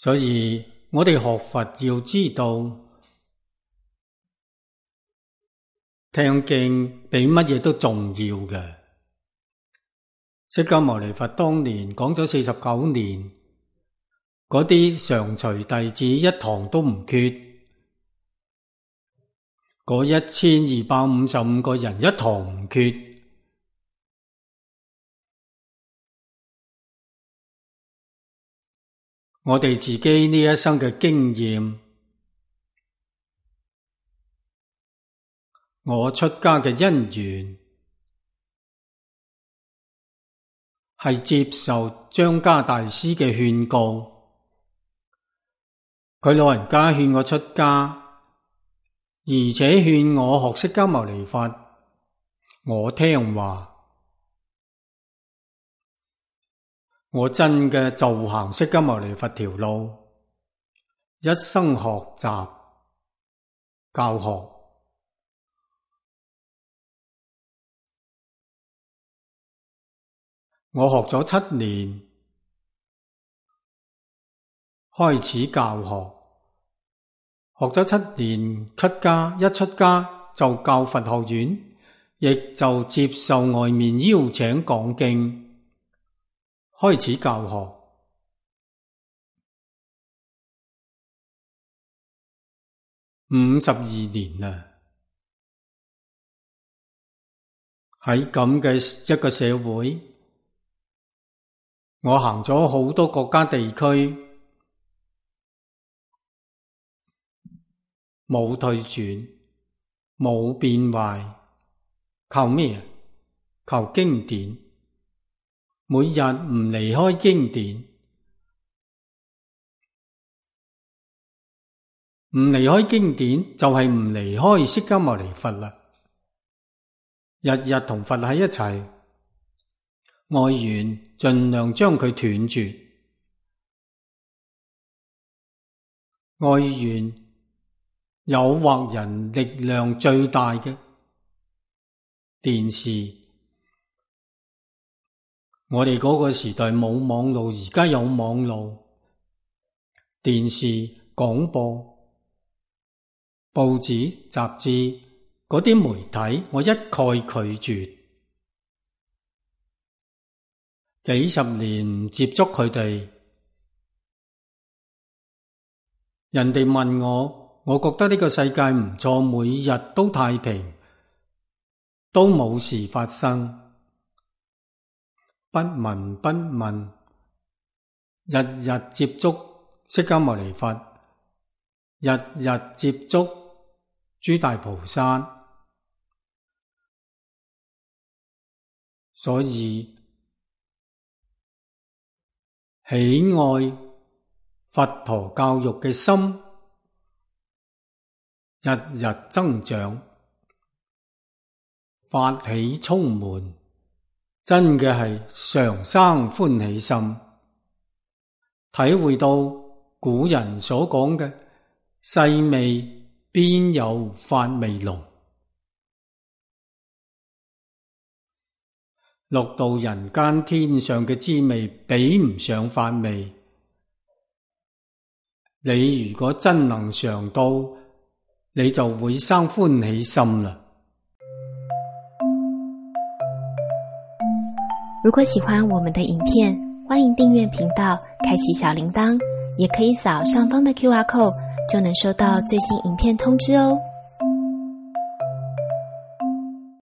所以我哋學佛要知道，聽經比乜嘢都重要嘅。釋迦牟尼佛當年講咗49年，嗰啲常隨弟子一堂都唔缺，嗰1255個人一堂唔缺。我哋自己呢一生嘅經驗，我出家嘅因緣，係接受張家大師嘅勸告。佢老人家勸我出家，而且勸我學釋迦牟尼佛，我聽話。我真嘅就行釋迦牟尼佛條路，一生學習教學。我學咗7年，開始教學，學咗7年出家，一出家就教佛學院，亦就接受外面邀請講經。開始教學52年啦，喺咁嘅一個社會，我行咗好多國家地區，冇退轉，冇變壞，靠咩？靠經典。每日唔離開經典，唔離開經典就係唔離開釋迦牟尼佛啦。日日同佛喺一齊，外緣盡量將佢斷絕。外緣誘惑人力量最大嘅電視。我哋嗰個時代冇網路，而家有網路、電視、廣播、報紙、雜誌嗰啲媒體，我一概拒絕。幾十年唔接觸佢哋，人哋問我，我覺得呢個世界唔錯，每日都太平，都冇事發生。不聞不問，日日接觸釋迦牟尼佛，日日接觸諸大菩薩，所以喜愛佛陀教育嘅心日日增長，法喜充滿。真嘅係常生歡喜心，體會到古人所講嘅細味邊有法味濃，六道人間天上嘅滋味比唔上法味。你如果真能嘗到，你就會生歡喜心啦。如果喜歡我們的影片，歡迎訂閱頻道，開啟小鈴鐺，也可以掃上方的QR code，就能收到最新影片通知哦。